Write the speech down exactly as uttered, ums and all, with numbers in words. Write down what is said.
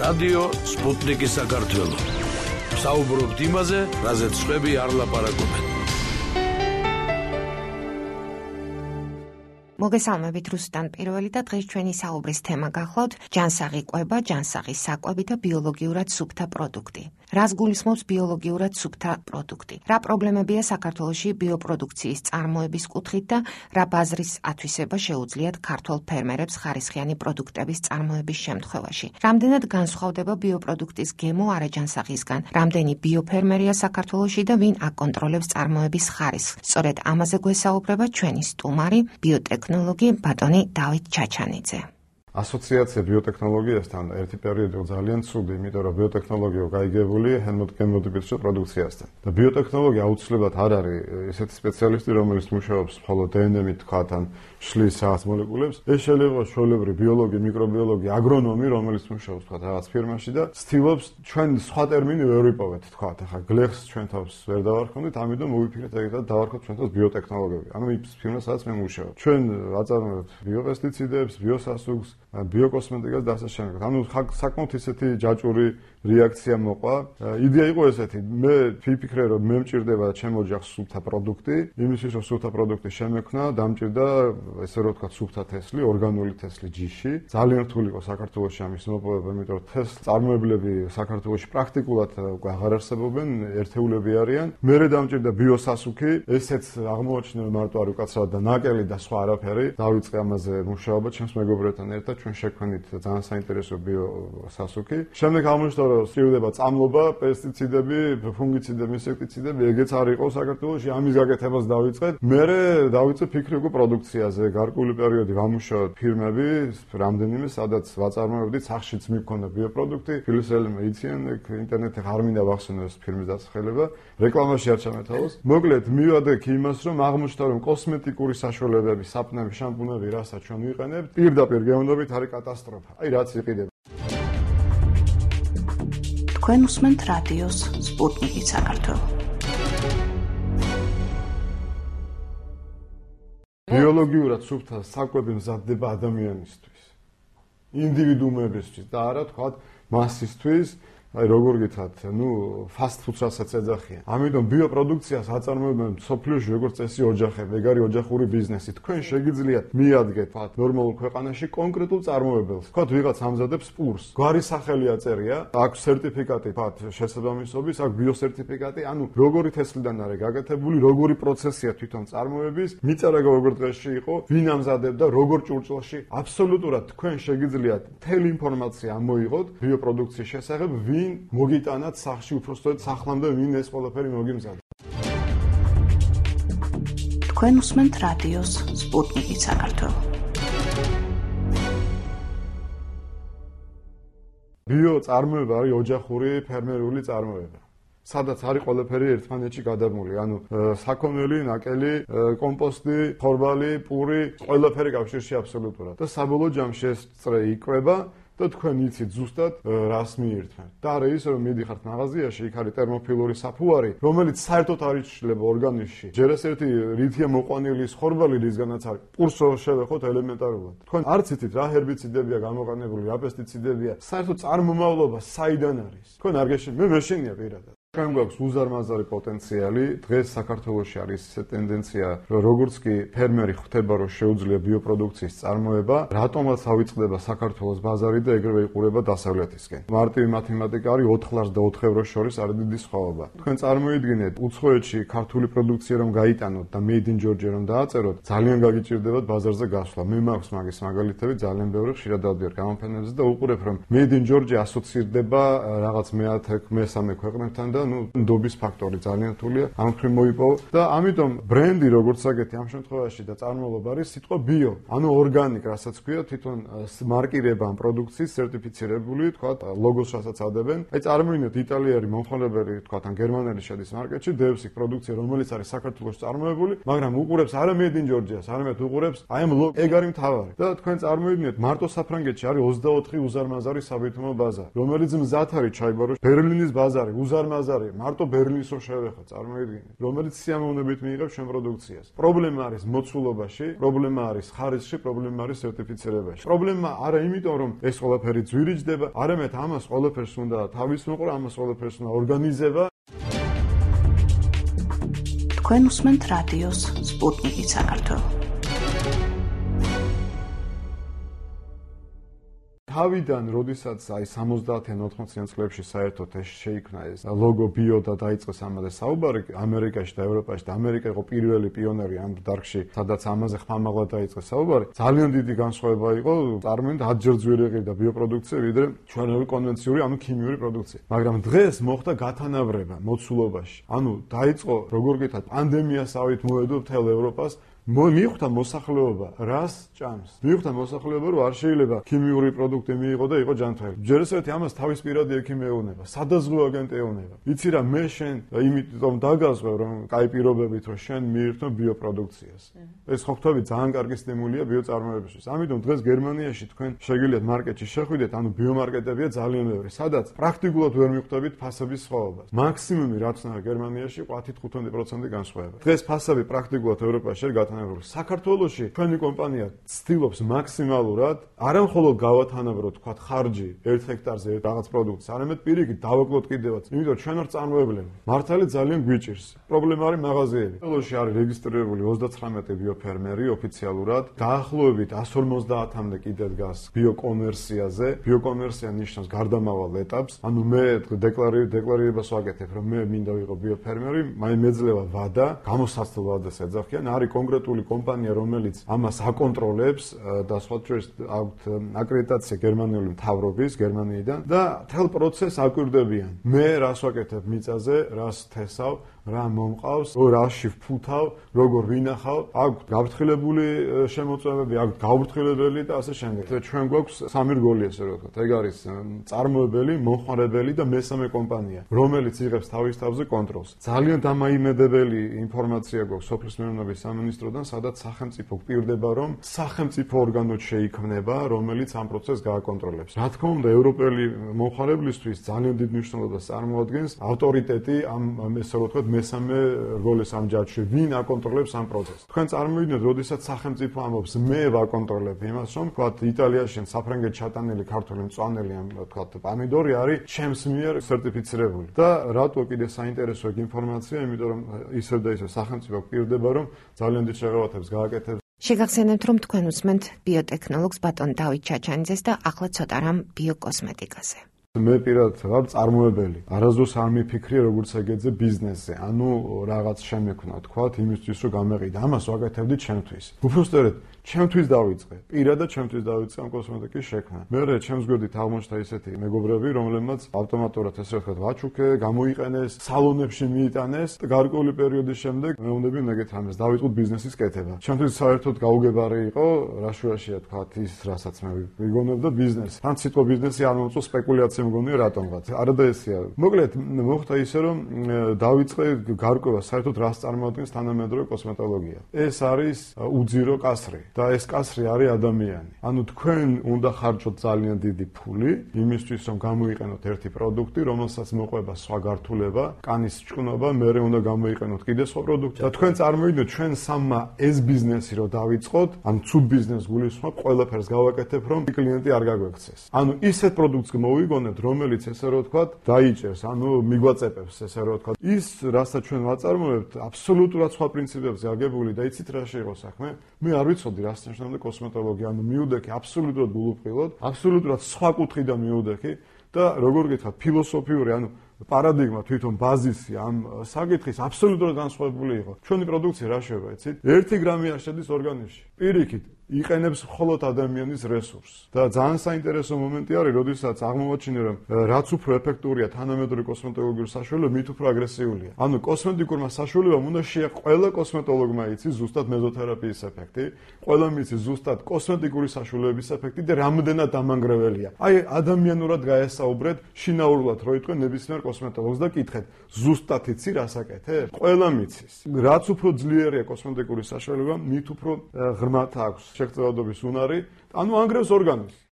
რადიო სპუტნიკი საქართველო. საუბრობთ იმაზე, რაზეც სხვები არ ლაპარაკობენ. მოგესალმებით, რუსტან პირველი და დღეს ჩვენი საუბრის თემა გახლავთ ჯანსაღი კვება, ჯანსაღის საკვები და ბიოლოგიურად სუფთა პროდუქტი. რას გულისხმობს ბიოლოგიურად სუფთა პროდუქტი? რა პრობლემებია საქართველოში ბიოპროდუქციის წარმოების კუთხით და რა ბაზრის ათვისება შეუძლიათ ქართველ ფერმერებს ხარისხიანი პროდუქტების წარმოების შემთხვევაში? რამდენად განსხვავდება ბიოპროდუქტის გემო არაჯანსაღისგან? რამდენი ბიოფერმერია საქართველოში და ვინ აკონტროლებს წარმოების ხარისხს? სწორედ ამაზე გვესაუბრება ჩვენი სტუმარი ბიოტექნოლოგი ბატონი დავით ჩაჩანიძე. ასოციაცია ბიოტექნოლოგიასთან ერთი პერიოდი ძალიან ცუდი, იმიტომ რომ ბიოტექნოლოგია გაიგებული ჰემოდიმოდიფიცირებულ პროდუქციასთან. და ბიოტექნოლოგია აუცილებლად არ არის ესეთი სპეციალისტი, რომელიც მუშაობს მხოლოდ დე ენ ემ-ით თქვათან შლის რაღაც მოლეკულებს. ეს შეიძლება იყოს ჩვეულებრივი ბიოლოგი, მიკრობიოლოგი, აგრონომი, რომელიც მუშაობს თქვათ რაღაც ფირმაში და ცდილობს ჩვენ სხვა ტერმინი ვერ ვიპოვეთ თქვათ. ახლა გლეხს ჩვენ თავს ვერ დავარქმევთ, ამიტომ მოვიფიქრეთ ეგეთად დავარქვათ ჩვენ თავს ბიოტექნოლოგები. ანუ ის ფირმა სადაც მე მუშაობ. ჩვენ აწარმოებთ ბიოპესტიციდებს, ბიოსასუქს, ბიოკოსმეტიკას და ასე შემდეგ. ანუ საკმაოდ ისეთი ჯაჭვური რეაქცია მოყვა. იდეა იყო ესეთი, მე ვიფიქრე რომ მე მჭირდება ჩემ ოჯახს სუფთა პროდუქტი, იმისთვის რომ სუფთა პროდუქტი შემექმნა, დამჭირდა ესე რომ ვთქვათ სუფთა თესლი, ორგანული თესლი ჯიში. ძალიან რთული იყო საქართველოში ამის მოპოვება, იმიტომ რომ თესლ წარმოებლები საქართველოში პრაქტიკულად უკვე აღარ არსებობენ, ერთეულები არიან. მერე დამჭირდა ბიოსასუქი, ესეც აღმოაჩინა მარტო არ უკაცრავად და ნაკელი და სხვა არაფერი. დავიწყე ამაზე მუშაობა ჩემს მეგობრებთან ერთად, ჩვენ შექმნით ძალიან საინტერესო ბიოსასუქი. შემდეგ აღმოჩნდა რომ სწრიფდება წამლობა, პესტიციდები, ფუნგიციდები, ინსექტიციდები, ეგეც არ იყო საქართველოში, ამის გაკეთებას დავიწყეთ. მერე დავიწყე ფიქრი უკვე პროდუქციაზე. გარკვეული პერიოდი ვამუშავეთ ფირმები, რამდენიმე, სადაც ვაწარმოებდით, სახშიც მიქონდა ბიოპროდუქტი, ფილოსელი მეიციან, ინტერნეტზე არ მინდა ვახსენო ეს ფირმის დასახელება, რეკლამაში არ ჩამეთავოს. მოკლედ, მივადე იმას, რომ აღმოჩნდა, რომ კოსმეტიკური საშუალებები, საპნები, შამპუნები, რასაც ჩვენ ვიყენებთ, პირდაპირ გეუნდობით არის კატასტროფა. აი რაც იყიდება. თქვენ უსმენთ რადიოს სპუტნიკი საქართველო. ბიოლოგიურად სუფთა საკვები მზადდება ადამიანისთვის, ინდივიდუუმებისთვის და არა თქვათ მასისთვის. აი როგორ გითხრათ, ნუ ფასტ ფუდს რასაც ეძახიან. ამიტომ ბიოპროდუქციას აწარმოებენ სოფლიოში როგორც წესი ოჯახები, ეგ არის ოჯახური ბიზნესი. თქვენ შეგიძლიათ მიადგეთ თქვათ ნორმალურ ქვეყანაში კონკრეტულ წარმოებელს. თქვათ ვიღაც ამზადებს პურს. გვარი სახელი აწერია, აქვს სერტიფიკატი თქვათ შესაბამისობის, აქვს ბიოსერტიფიკატი, ანუ როგორი თესლიდან არის გაკეთებული, როგორი პროცესია თვითონ წარმოების, მიწარაგა როგორ დღეში იყო, ვინ ამზადებდა, როგორ ჭურჭელში. აბსოლუტურად თქვენ შეგიძლიათ მთელი ინფორმაცია ამოიღოთ ბიოპროდუქციის შესახებ, ვინ მოგიტანათ სახში უпростоეთ სახლამდე ვინ ეს ყველაფერი მოგიმზადა. თქვენ უსმენთ რადიოს სპუტნიკი საქართველო. ბიო წარმოება არის ოჯახური ფერმერული წარმოება. სადაც არის ყველაფერი ერთმანეთში გადაბმული, ანუ საქონელი, ნაკელი, კომპოსტი, ხორბალი, პური, ყველაფერი კავშირში აბსოლუტურად. და საბოლოო ჯამში ეს წრე იკვება და თქვენ იცით ზუსტად რას მიირთმევთ. და არა ის რომ მიდიხართ მაღაზიაში, იქ არის ტერმოფილური საფუარი, რომელიც საერთოდ არ იცვლება ორგანიზმში. ჯერ ეს ერთი რითია მოყვანილი ხორბალი, რისგანაც არის პურსო შევეხოთ ელემენტარულად. თქვენ არც იცით რა ჰერბიციდებია გამოყენებული, რა პესტიციდებია, საერთოდ წარმომავლობა საიდან არის. თქვენ არ გეშინია, მე მეშინია პირადად. ჩვენ გვაქვს უზარმაზარი პოტენციალი. დღეს საქართველოში არის ეს ტენდენცია, რომ როგორც კი ფერმერი ხვდება, რომ შეუძლია ბიოპროდუქციის წარმოება, რატომაც ავიწყდება საქართველოს ბაზარი და ეგრევე იყურება დასავლეთისკენ. მარტივი მათემატიკა არის ოთხ ლარს და ოთხ ევროს შორის არის დიდი სხვაობა. თქვენ წარმოიდგინეთ, უცხოეთში ქართული პროდუქცია რომ გაიტანოთ და made in Georgia რომ დააწეროთ, ძალიან გაგიჭირდებათ ბაზარზე გასვლა. მე მაქვს მაგის მაგალითები ძალიან ბევრი, ხშირად დავდივარ გამოფენებზე და უყურებ, რომ made in Georgia ასოცირდება რაღაც მეათე, მესამე ქვეყნებთან და ნუ ნდობის ფაქტორი ძალიან რთულია ამ ხრივ მოიპოვო და ამიტომ ბრენდი როგორც აგეთი ამ შემთხვევაში და წარმომავლობა არის სიტყვა ბიო, ანუ ორგანიკ, რასაც ქვია თვითონ მარკირება ამ პროდუქციის სერტიფიცირებული, თქვა ლოგოს რასაც ადებენ. აი წარმოიდგინეთ იტალიელი მომხმარებელი, თქვა ან გერმანელი შედის მარკეტში, დევს იქ პროდუქცია, რომელიც არის საქართველოს წარმოებული, მაგრამ უყურებს არა made in Georgia-ს, არამედ უყურებს აი ამ ლოგო, ეგ არის მთავარი. და თქვენ წარმოიდგინეთ, მარტო საფრანგეთში არის ოცდაოთხი უზარმაზარი საბირთვო ბაზარი, რომელიც მზად არის ჩაიბაროს, ბერლინის ბაზარი უზარმაზარი ბაზარი მარტო ბერლინის რომ შევეხოთ, წარმოიდგინეთ, რომელიც სიამოვნებით მიიღებს ჩვენ პროდუქციას. პრობლემა არის მოცულობაში, პრობლემა არის ხარისხში, პრობლემა არის სერტიფიცირებაში. პრობლემა არა იმიტომ, რომ ეს ყველაფერი ძვირიჯდება, არამედ ამას ყველაფერს უნდა თავის მოყრა, ამას ყველაფერს უნდა ორგანიზება. თქვენ უსმენთ რადიოს სპუტნიკი საქართველო. თავიდან, როდესაც აი სამოცდაათიან ოთხმოციან წლებში საერთოდ ეს შეიქმნა ეს ლოგო ბიო და დაიწყეს ამაზე საუბარი ამერიკაში და ევროპაში და ამერიკა იყო პირველი პიონერი ამ დარგში, სადაც ამაზე ხმამაღლა დაიწყეს საუბარი. ძალიან დიდი განსხვავება იყო, წარმოიდგინეთ ათჯერ ძვირი ყიდა ბიოპროდუქცია, ვიდრე ჩვენელი კონვენციური, ანუ ქიმიური პროდუქცია. მაგრამ დღეს მოხდა გათანაბრება მოცულობაში. ანუ დაიწყო, როგორ გითხრათ, პანდემიასავით მოედო მთელ ევროპას. მიხვდა მოსახლეობა, რას ჭამს. მიხვდა მოსახლეობა, რომ არ შეიძლება ქიმიური პროდუქტი მიიღო და იყო ჯანმრთელი. ჯერ ესეთი ამას თავის პირადი ექიმი ეუბნება, სადაზღვო აგენტი ეუბნება. იცი რა, მე შენ იმიტომ დაგაზღვევ, რომ კაი პირობებით რომ შენ მიირთო ბიოპროდუქციას. ეს ხო ხვდები ძალიან კარგი სტიმულია ბიოწარმოებისთვის. ამიტომ დღეს გერმანიაში თქვენ შეგიძლიათ მარკეტში შეხვიდეთ, ანუ ბიომარკეტებია ძალიან ბევრი, სადაც პრაქტიკულად ვერ მიხვდებით ფასების სხვაობას. მაქსიმუმი რაც უნდა გერმანიაში ყვათით ხუთმეტი პროცენტი განსხვავება. დღეს ფასები პრაქტიკულად ევროპაში არ საქართველოში ჩვენი კომპანია ცდილობს მაქსიმალურად არა მხოლოდ გავათანაბროთ თქვა ხარჯი ერთ ჰექტარზე რაღაც პროდუქტს, არამედ პირიქით დავაკლოთ კიდევაც. იმიტომ ჩვენ არ წარმოებლები. მართალი ძალიან გვიჭირს. პრობლემა არის მაღაზიები. საქართველოში არის რეგისტრირებული ოცდაცხრამეტი ბიოფერმერი ოფიციალურად. დაახლოებით εκατს ორმოცდაათამდე კიდე დგას ბიოკომერციაზე. ბიოკომერცია ნიშნავს გარდამავალ ეტაპს. ანუ მე დეკლარირებას ვაკეთებ, რომ მე მინდა ვიყო ბიოფერმერი, მაინც მეძლევა ვადა, გამოსაცდელ ვადას ეძახიან, არის კონკრეტული კომპანია, რომელიც ამას აკონტროლებს და სხვა შორის აქვთ აკრედიტაცია გერმანიული მთავრობის, გერმანიიდან და მთელ პროცესს აკვირდებიან. მე რას ვაკეთებ მიწაზე, რას თესავ, რა მომყავს, რაში ვფუთავ, როგორ ვინახავ, აქვთ გაფრთხილებული შემოწმებები, აქვთ გაუფრთხილებელი და ასე შემდეგ. ჩვენ გვაქვს სამი რგოლი, ესე რომ ვთქვათ. ეგ არის წარმოებელი, მომხმარებელი და მესამე კომპანია, რომელიც იღებს თავის თავზე კონტროლს. ძალიან დამაიმედებელი ინფორმაცია გვაქვს სოფლის მეურნეობის სამინისტროდან, სადაც სახელმწიფო გვპირდება, რომ სახელმწიფო ორგანო შეიქმნება, რომელიც ამ პროცესს გააკონტროლებს. რა თქმა უნდა, ევროპელი მომხმარებლისთვის ძალიან დიდ მნიშვნელობას წარმოადგენს ავტორიტეტი ამ ესე რომ ვთქვათ მესამე რგოლის ამ ჯაჭვში, ვინ აკონტროლებს ამ პროცესს. თქვენ წარმოიდგინეთ, როდესაც სახელმწიფო ამბობს, მე ვაკონტროლებ იმას, რომ ვთქვათ იტალიაში საფრანგეთში ჩატანილი ქართული მწვანელი ამ ვთქვათ პომიდორი არის ჩემს მიერ სერტიფიცირებული. და რატო კიდე საინტერესო ეგ ინფორმაცია, იმიტომ რომ ისევ და ისევ სახელმწიფო გვპირდება, რომ ძალიან დიდ შეღავათებს გააკეთებს. შეგახსენებთ, რომ თქვენ უსმენთ ბიოტექნოლოგს ბატონ დავით ჩაჩანიძეს და ახლა ცოტა რამ ბიოკოსმეტიკაზე. მე პირადად ვარ წარმოებელი. არასდროს არ მიფიქრე როგორც ეგეზე ბიზნესზე. ანუ რაღაც შემექნა, თქვათ, იმისთვის რომ გამეყიდა. ამას ვაკეთებდი ჩემთვის. უბრალოდ ჩემთვის დავიწყე. პირადად ჩემთვის დავიწყე ამ კოსმეტიკის შექმნა. მერე ჩემს გვერდით აღმოჩნდა ისეთი მეგობრები, რომლებმაც ავტომატურად ესე ვთქვათ, ვაჩუქე, გამოიყენეს, სალონებში მიიტანეს და გარკვეული პერიოდის შემდეგ მეუბნები მეგეთ ამას დავიწყოთ ბიზნესის კეთება. ჩემთვის საერთოდ გაუგებარი იყო, რაშუაშია თქვათ ის, რასაც მე ვიგონებდა ბიზნესი. თან სიტყვა ბიზნესი არ მომწონს, სპეკულაცია მგონია რატომღაც. არადა ესეა. მოკლედ მოხდა ისე, რომ დავიწყე გარკვევა საერთოდ რას წარმოადგენს თანამედროვე კოსმეტოლოგია. ეს არის უძირო კასრი. და ეს კასრი არის ადამიანი. ანუ თქვენ უნდა ხარჯოთ ძალიან დიდი ფული იმისთვის, რომ გამოიყენოთ ერთი პროდუქტი, რომელსაც მოყვება სხვა გართულება, კანის ჭკნობა, მერე უნდა გამოიყენოთ კიდე სხვა პროდუქტი. და თქვენ წარმოიდგინეთ, ჩვენ სამმა ეს ბიზნესი რომ დავიწყოთ, ან ცუდ ბიზნესს გულისხმობ, ყველაფერს გავაკეთებ, რომ კლიენტი არ გაგვექცეს. ანუ ისეთ პროდუქტს მოვიგონებთ, რომელიც ესე რომ ვთქვათ, დაიჭერს, ანუ მიგვაწეპებს, ესე რომ ვთქვათ. ის, რასაც ჩვენ ვაწარმოებთ, აბსოლუტურად სხვა პრინციპებზე აგებული და იცით რა შეიღო საქმე? მე არ ვიცოდი რას ნიშნავდა კოსმეტოლოგია, ანუ მიუდექი აბსოლუტურად გულუბრყილოდ, აბსოლუტურად სხვა კუთხიდან მიუდექი და როგორ გითხრათ, ფილოსოფიური, ანუ პარადიგმა თვითონ ბაზისი ამ საკითხის აბსოლუტურად განსხვავებული იყო. ჩვენი პროდუქცია რა შევა, იცით? ერთი გრამი არ შედის ორგანიზმში. პირიქით, იყენებს მხოლოდ ადამიანის რესურსს. და ძალიან საინტერესო მომენტი არის, როდესაც აღმოაჩინე, რომ რაც უფრო ეფექტურია თანამედროვე კოსმეტოლოგიური საშუალება, მით უფრო აგრესიულია. ანუ კოსმეტიკურმა საშუალებამ უნდა შეაყო ყველა კოსმეტოლოგმა იცის ზუსტად მეზოთერაპიის ეფექტი, ყველა მიცის ზუსტად კოსმეტიკური საშუალებების ეფექტი და რამდენად დამანგრეველია. აი ადამიანურად გაესაუბრეთ, შინაურულად რო იტყვე ნებისმიერ კოსმეტოლოგს და კითხეთ, ზუსტად იცი რას აკეთებ? ყველა მიცის. რაც უფრო ძლიერია კოსმეტიკური საშუალება, მით უფრო ღრმად აქვს შეგრძელადობის უნარი, ანუ ანგრევს ორგანიზმს.